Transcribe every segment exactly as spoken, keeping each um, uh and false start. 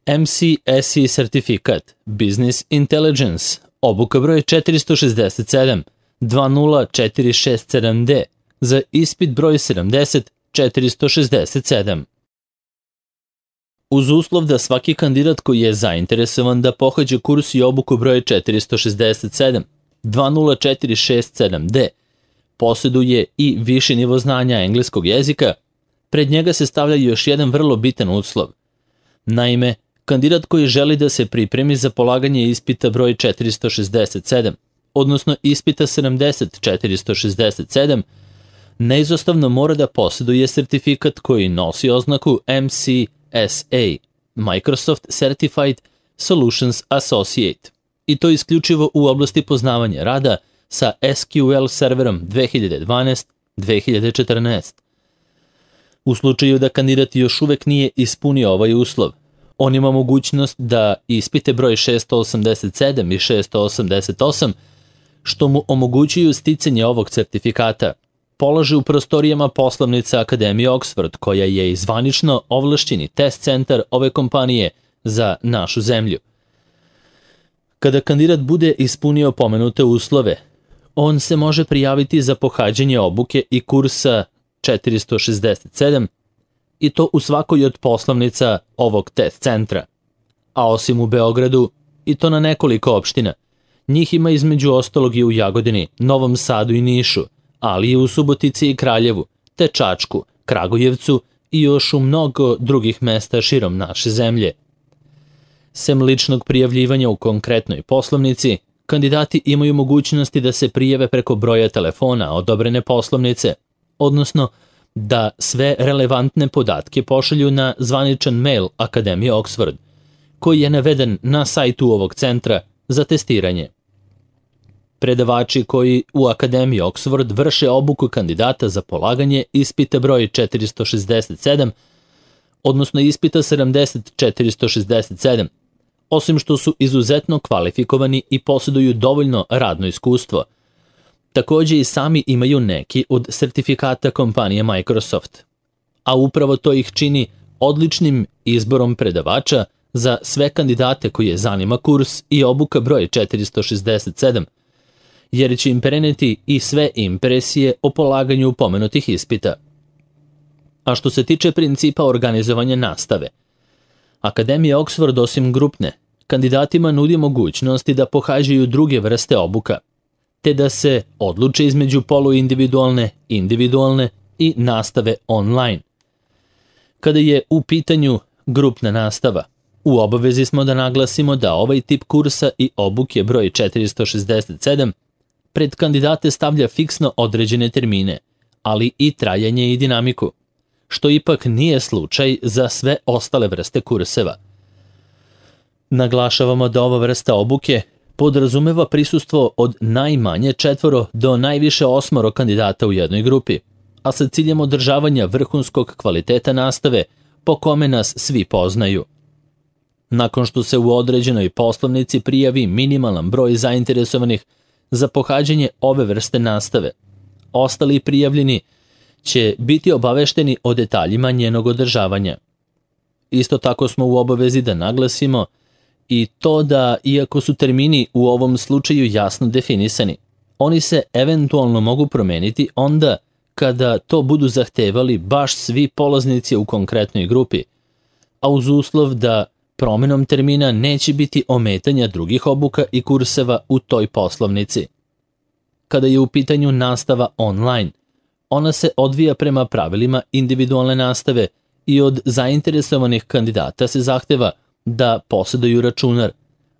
M C S I sertifikat Business Intelligence, obuka broj četiristo šezdeset sedam dva nula četiri šest sedam D za ispit broj sedamdeset četiristo šezdeset sedam. Uz uslov da svaki kandidat koji je zainteresovan da pohađa kurs i obuku broj četiristo šezdeset sedam dva nula četiri šest sedam D posjeduje i viši nivo znanja engleskog jezika, pred njega se stavlja još jedan vrlo bitan uslov. Naime, kandidat koji želi da se pripremi za polaganje ispita broj četiristo šezdeset sedam, odnosno ispita sedamdeset četiristo šezdeset sedam, neizostavno mora da posjeduje sertifikat koji nosi oznaku M C S A, Microsoft Certified Solutions Associate, i to isključivo u oblasti poznavanja rada sa S Q L serverom dve hiljade dvanaest dve hiljade četrnaest. U slučaju da kandidat još uvek nije ispunio ovaj uslov, on ima mogućnost da ispite broj šesto osamdeset sedam i šesto osamdeset osam, što mu omogućuju sticanje ovog sertifikata, polaže u prostorijama poslovnice Akademije Oxford, koja je i zvanično ovlašćeni test centar ove kompanije za našu zemlju. Kada kandidat bude ispunio pomenute uslove, on se može prijaviti za pohađanje obuke i kursa četiristo šezdeset sedam i to u svakoj od poslovnica ovog test centra. A osim u Beogradu, i to na nekoliko opština, njih ima između ostalog i u Jagodini, Novom Sadu i Nišu, ali i u Subotici i Kraljevu, te Čačku, Kragujevcu i još u mnogo drugih mesta širom naše zemlje. Sem ličnog prijavljivanja u konkretnoj poslovnici, kandidati imaju mogućnosti da se prijave preko broja telefona odobrene poslovnice, odnosno da sve relevantne podatke pošalju na zvaničan mail Akademije Oxford, koji je naveden na sajtu ovog centra za testiranje. Predavači koji u Akademiji Oxford vrše obuku kandidata za polaganje ispita broj četiristo šezdeset sedam, odnosno ispita sedamdeset četiristo šezdeset sedam, osim što su izuzetno kvalifikovani i posjeduju dovoljno radno iskustvo, također i sami imaju neki od sertifikata kompanije Microsoft, a upravo to ih čini odličnim izborom predavača za sve kandidate koje zanima kurs i obuka broj četiristo šezdeset sedam, jer će im preneti i sve impresije o polaganju pomenutih ispita. A što se tiče principa organizovanja nastave, Akademija Oxford osim grupne, kandidatima nudi mogućnosti da pohađaju druge vrste obuka, te da se odluče između poluindividualne, individualne i nastave online. Kada je u pitanju grupna nastava, u obavezi smo da naglasimo da ovaj tip kursa i obuke broj četiristo šezdeset sedam pred kandidate stavlja fiksno određene termine, ali i trajanje i dinamiku, što ipak nije slučaj za sve ostale vrste kurseva. Naglašavamo da ova vrsta obuke podrazumeva prisustvo od najmanje četvoro do najviše osmoro kandidata u jednoj grupi, a sa ciljem održavanja vrhunskog kvaliteta nastave po kome nas svi poznaju. Nakon što se u određenoj poslovnici prijavi minimalan broj zainteresovanih za pohađanje ove vrste nastave, ostali prijavljeni će biti obavešteni o detaljima njenog održavanja. Isto tako smo u obavezi da naglasimo i to da, iako su termini u ovom slučaju jasno definisani, oni se eventualno mogu promeniti onda kada to budu zahtevali baš svi polaznici u konkretnoj grupi, a uz uslov da promenom termina neće biti ometanja drugih obuka i kurseva u toj poslovnici. Kada je u pitanju nastava online, ona se odvija prema pravilima individualne nastave i od zainteresovanih kandidata se zahteva da posjeduju računar,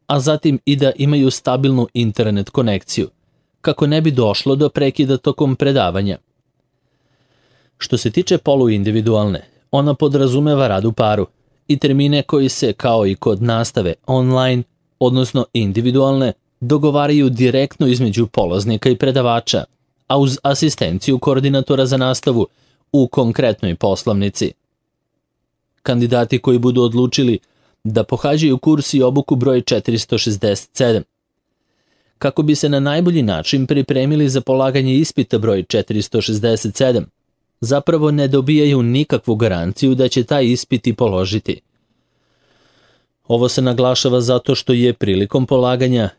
a zatim i da imaju stabilnu internet konekciju, kako ne bi došlo do prekida tokom predavanja. Što se tiče poluindividualne, ona podrazumeva rad u paru i termine koji se, kao i kod nastave online, odnosno individualne, dogovaraju direktno između polaznika i predavača, a uz asistenciju koordinatora za nastavu u konkretnoj poslovnici. Kandidati koji budu odlučili da pohađaju kurs i obuku broj četiristo šezdeset sedam, kako bi se na najbolji način pripremili za polaganje ispita broj četiristo šezdeset sedam, zapravo ne dobijaju nikakvu garanciju da će taj ispit i položiti. Ovo se naglašava zato što je prilikom polaganja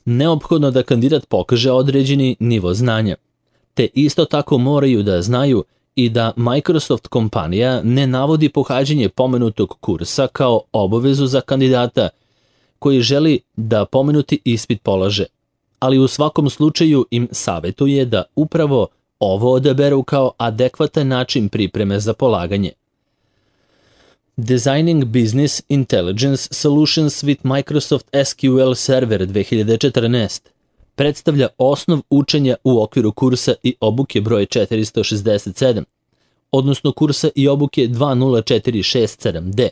neophodno da kandidat pokaže određeni nivo znanja, te isto tako moraju da znaju i da Microsoft kompanija ne navodi pohađanje pomenutog kursa kao obavezu za kandidata koji želi da pomenuti ispit polaže, ali u svakom slučaju im savjetuje da upravo ovo odaberu kao adekvatan način pripreme za polaganje. Designing Business Intelligence Solutions with Microsoft S Q L Server dve hiljade četrnaest predstavlja osnov učenja u okviru kursa i obuke broj četiristo šezdeset sedam, odnosno kursa i obuke dva nula četiri šest sedam D,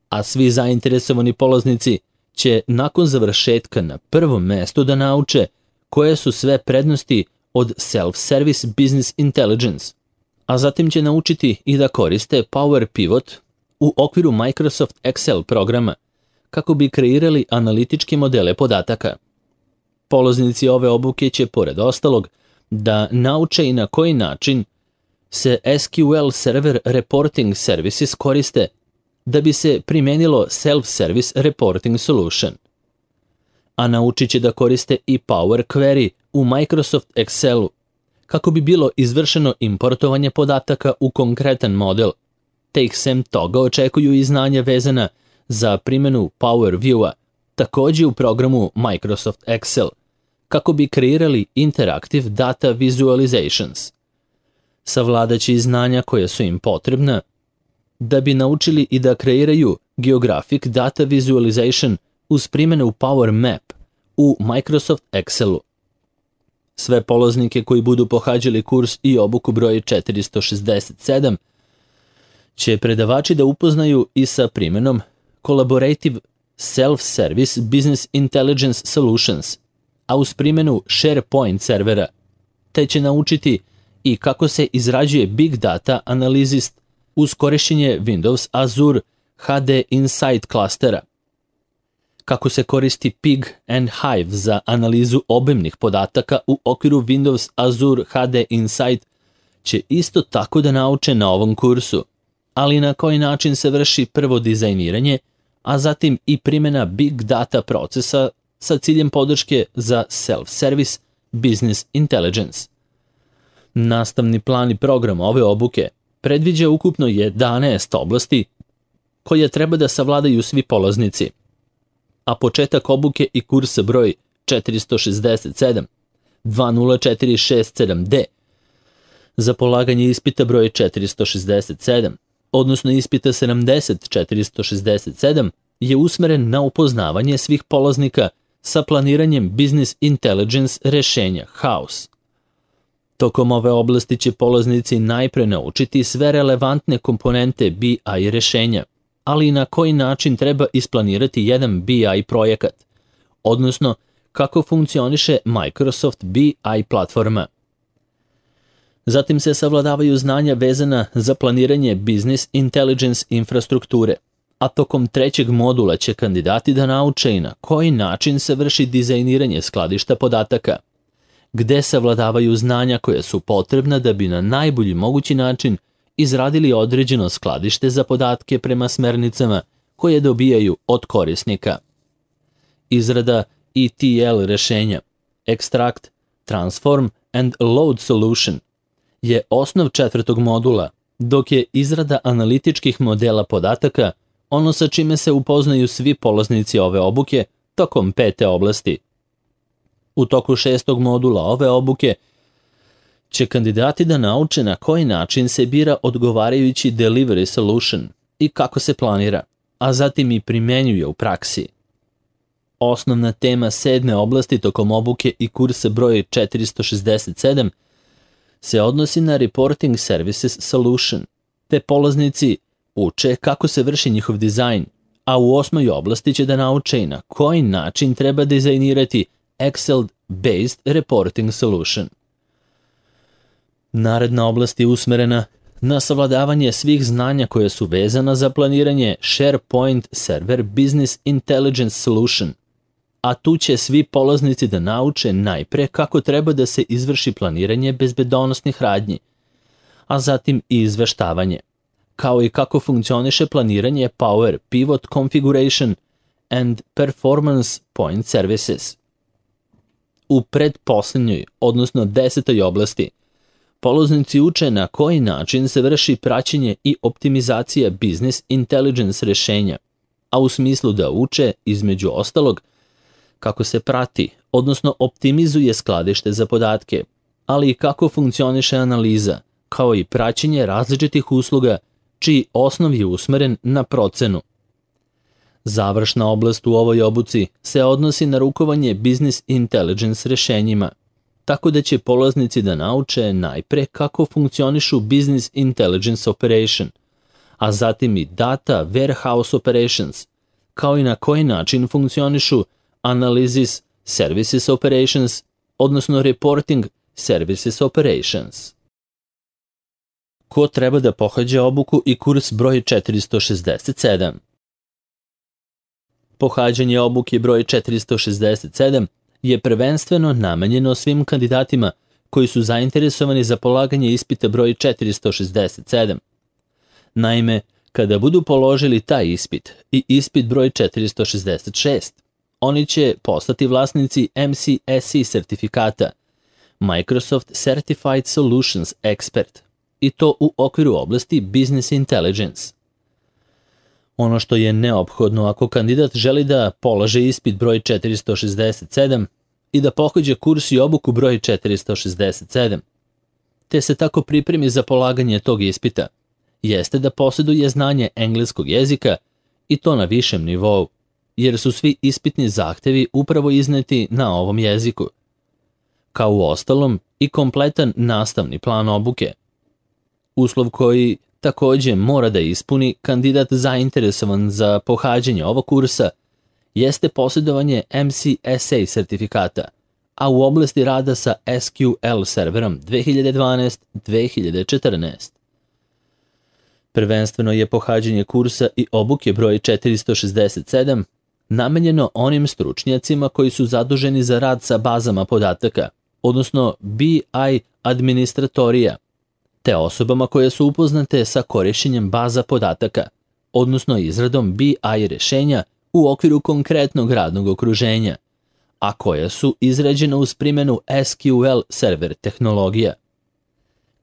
a svi zainteresovani polaznici će nakon završetka na prvom mestu da nauče koje su sve prednosti od Self-Service Business Intelligence, a zatim će naučiti i da koriste Power Pivot u okviru Microsoft Excel programa kako bi kreirali analitičke modele podataka. Polaznici ove obuke će, pored ostalog, da nauče i na koji način se S Q L Server Reporting Services koriste da bi se primenilo Self-Service Reporting Solution. A naučit će da koriste i Power Query u Microsoft Excelu kako bi bilo izvršeno importovanje podataka u konkretan model, te ih sem toga očekuju i znanja vezana za primjenu Power View-a, također u programu Microsoft Excel, kako bi kreirali Interactive Data Visualizations. Savladaće i znanja koje su im potrebna da bi naučili i da kreiraju Geographic Data Visualization uz primjenu Power Map u Microsoft Excelu. Sve polaznike koji budu pohađali kurs i obuku broj četiristo šezdeset sedam će predavači da upoznaju i sa primjenom Collaborative Self-Service Business Intelligence Solutions, a uz primjenu SharePoint servera, te će naučiti i kako se izrađuje Big Data Analysis uz korišćenje Windows Azure H D Insight klastera, kako se koristi Pig and Hive za analizu obimnih podataka u okviru Windows Azure H D Insight će isto tako da nauče na ovom kursu, ali na koji način se vrši prvo dizajniranje, a zatim i primjena Big Data procesa sa ciljem podrške za Self-Service Business Intelligence. Nastavni plan i program ove obuke predviđa ukupno jedanaest oblasti koje treba da savladaju svi polaznici, a početak obuke i kursa broj četiristo šezdeset sedam dva nula četiri šest sedam D za polaganje ispita broj četiristo šezdeset sedam, odnosno ispita sedamdeset četiristo šezdeset sedam, je usmeren na upoznavanje svih polaznika sa planiranjem Business Intelligence rešenja House. Tokom ove oblasti će polaznici najpre naučiti sve relevantne komponente B I rešenja, ali i na koji način treba isplanirati jedan B I projekat, odnosno kako funkcioniše Microsoft B I platforma. Zatim se savladavaju znanja vezana za planiranje Business Intelligence infrastrukture, a tokom trećeg modula će kandidati da nauče i na koji način se vrši dizajniranje skladišta podataka, gde savladavaju znanja koje su potrebna da bi na najbolji mogući način izradili određeno skladište za podatke prema smernicama koje dobijaju od korisnika. Izrada E T L rešenja, Extract, Transform and Load Solution, je osnov četvrtog modula, dok je izrada analitičkih modela podataka ono sa čime se upoznaju svi polaznici ove obuke tokom pete oblasti. U toku šestog modula ove obuke će kandidati da nauče na koji način se bira odgovarajući delivery solution i kako se planira, a zatim i primenjuje u praksi. Osnovna tema sedme oblasti tokom obuke i kursa broj četiristo šezdeset sedam se odnosi na Reporting Services Solution, te polaznici uče kako se vrši njihov dizajn, a u osmoj oblasti će da nauče i na koji način treba dizajnirati Excel-based Reporting Solution. Naredna oblast je usmerena na savladavanje svih znanja koje su vezana za planiranje SharePoint Server Business Intelligence Solution, a tu će svi polaznici da nauče najpre kako treba da se izvrši planiranje bezbedonosnih radnji, a zatim i izveštavanje, kao i kako funkcioniše planiranje Power Pivot Configuration and Performance Point Services. U predposlednjoj, odnosno desetoj oblasti, polaznici uče na koji način se vrši praćenje i optimizacija business intelligence rešenja, a u smislu da uče, između ostalog, kako se prati, odnosno optimizuje skladište za podatke, ali i kako funkcioniše analiza, kao i praćenje različitih usluga čiji osnov je usmeren na procenu. Završna oblast u ovoj obuci se odnosi na rukovanje business intelligence rešenjima, tako da će polaznici da nauče najpre kako funkcionišu business intelligence operation, a zatim i data warehouse operations, kao i na koji način funkcionišu analysis services operations, odnosno reporting services operations. Ko treba da pohađa obuku i kurs broj četiristo šezdeset sedam? Pohađanje obuke broj četiristo šezdeset sedam je prvenstveno namenjeno svim kandidatima koji su zainteresovani za polaganje ispita broj četiristo šezdeset sedam. Naime, kada budu položili taj ispit i ispit broj četiristo šezdeset šest, oni će postati vlasnici M C S E sertifikata, Microsoft Certified Solutions Expert, i to u okviru oblasti Business Intelligence. Ono što je neophodno ako kandidat želi da polaže ispit broj četiristo šezdeset sedam i da pohađa kurs i obuku broj četiristo šezdeset sedam, te se tako pripremi za polaganje tog ispita, jeste da posjeduje znanje engleskog jezika i to na višem nivou, jer su svi ispitni zahtevi upravo izneti na ovom jeziku, kao u ostalom i kompletan nastavni plan obuke. Uslov koji takođe mora da ispuni kandidat zainteresovan za pohađanje ovog kursa jeste posjedovanje M C S A sertifikata, a u oblasti rada sa S Q L serverom dve hiljade dvanaest do dve hiljade četrnaest. Prvenstveno je pohađanje kursa i obuke broj četiristo šezdeset sedam namenjeno onim stručnjacima koji su zaduženi za rad sa bazama podataka, odnosno B I administratorija, te osobama koje su upoznate sa korišćenjem baza podataka, odnosno izradom B I rešenja u okviru konkretnog radnog okruženja, a koja su izrađena uz primjenu S Q L server tehnologija.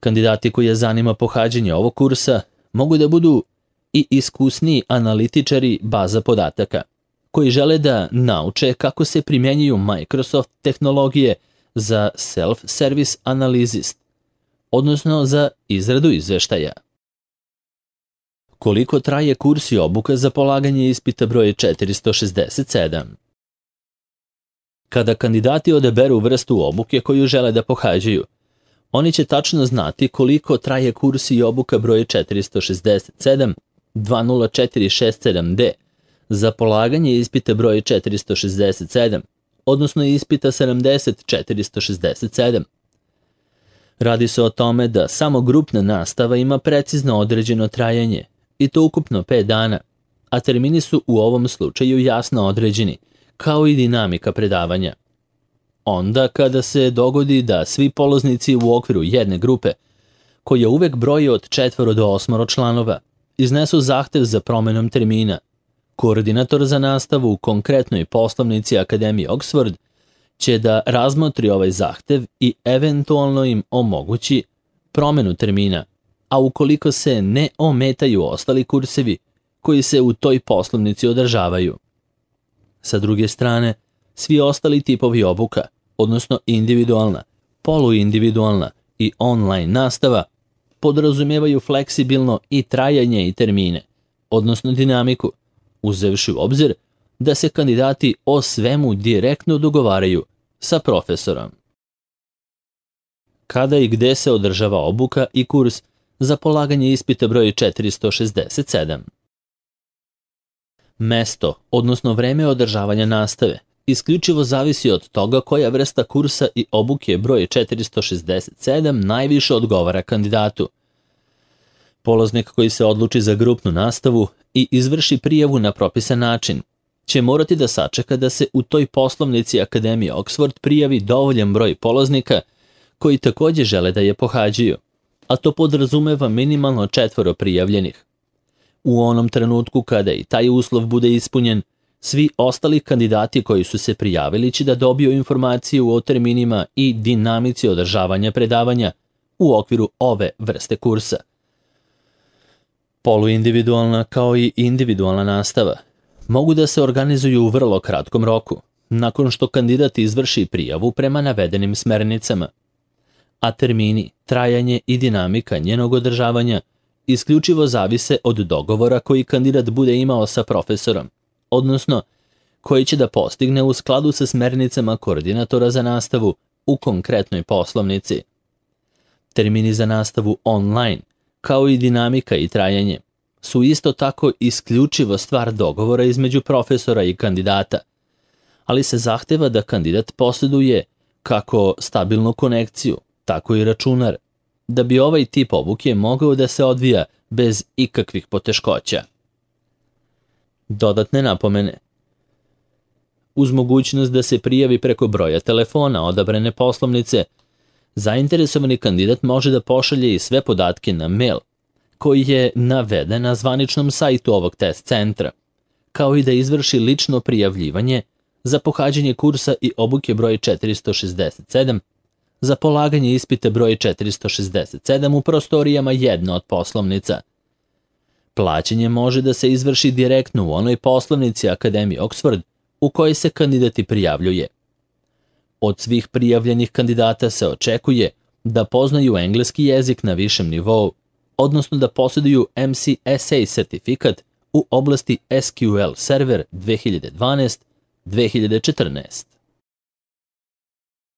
Kandidati koji je zanima pohađanje ovog kursa mogu da budu i iskusniji analitičari baza podataka, koji žele da nauče kako se primjenjuju Microsoft tehnologije za self-service analysis, odnosno za izradu izveštaja. Koliko traje kurs i obuka za polaganje ispita broj četiristo šezdeset sedam? Kada kandidati odaberu vrstu obuke koju žele da pohađaju, oni će tačno znati koliko traje kurs i obuka broj četiristo šezdeset sedam dva nula četiri šest sedam D za polaganje ispita broj četiristo šezdeset sedam, odnosno ispita sedamdeset četiristo šezdeset sedam. Radi se o tome da samo grupna nastava ima precizno određeno trajanje, i to ukupno pet dana, a termini su u ovom slučaju jasno određeni, kao i dinamika predavanja. Onda kada se dogodi da svi polaznici u okviru jedne grupe, koja uvek broji od četvoro do osmoro članova, iznesu zahtev za promenom termina, koordinator za nastavu u konkretnoj poslovnici Akademije Oxford će da razmotri ovaj zahtev i eventualno im omogući promenu termina, a ukoliko se ne ometaju ostali kursevi koji se u toj poslovnici održavaju. Sa druge strane, svi ostali tipovi obuka, odnosno individualna, poluindividualna i online nastava, podrazumijevaju fleksibilno i trajanje i termine, odnosno dinamiku, uzevši u obzir da se kandidati o svemu direktno dogovaraju sa profesorom. Kada i gde se održava obuka i kurs za polaganje ispita broj četiristo šezdeset sedam? Mesto, odnosno vreme održavanja nastave, isključivo zavisi od toga koja vrsta kursa i obuke broj četiristo šezdeset sedam najviše odgovara kandidatu. Polaznik koji se odluči za grupnu nastavu i izvrši prijavu na propisan način će morati da sačeka da se u toj poslovnici Akademije Oxford prijavi dovoljan broj polaznika koji takođe žele da je pohađaju, a to podrazumeva minimalno četvoro prijavljenih. U onom trenutku kada i taj uslov bude ispunjen, svi ostali kandidati koji su se prijavili će da dobiju informaciju o terminima i dinamici održavanja predavanja u okviru ove vrste kursa. Poluindividualna kao i individualna nastava mogu da se organizuju u vrlo kratkom roku, nakon što kandidat izvrši prijavu prema navedenim smernicama. A termini, trajanje i dinamika njenog održavanja isključivo zavise od dogovora koji kandidat bude imao sa profesorom, odnosno koji će da postigne u skladu sa smernicama koordinatora za nastavu u konkretnoj poslovnici. Termini za nastavu online, kao i dinamika i trajanje, su isto tako isključivo stvar dogovora između profesora i kandidata, ali se zahteva da kandidat posjeduje kako stabilnu konekciju, tako i računar, da bi ovaj tip obuke mogao da se odvija bez ikakvih poteškoća. Dodatne napomene. Uz mogućnost da se prijavi preko broja telefona odabrane poslovnice, zainteresovani kandidat može da pošalje i sve podatke na mail, koji je naveden na zvaničnom sajtu ovog test centra, kao i da izvrši lično prijavljivanje za pohađanje kursa i obuke broj četiristo šezdeset sedam, za polaganje ispita broj četiristo šezdeset sedam u prostorijama jedne od poslovnica. Plaćanje može da se izvrši direktno u onoj poslovnici Akademije Oxford u kojoj se kandidati prijavljuje. Od svih prijavljenih kandidata se očekuje da poznaju engleski jezik na višem nivou, odnosno da posjeduju M C S A sertifikat u oblasti S Q L Server dve hiljade dvanaest do dve hiljade četrnaest.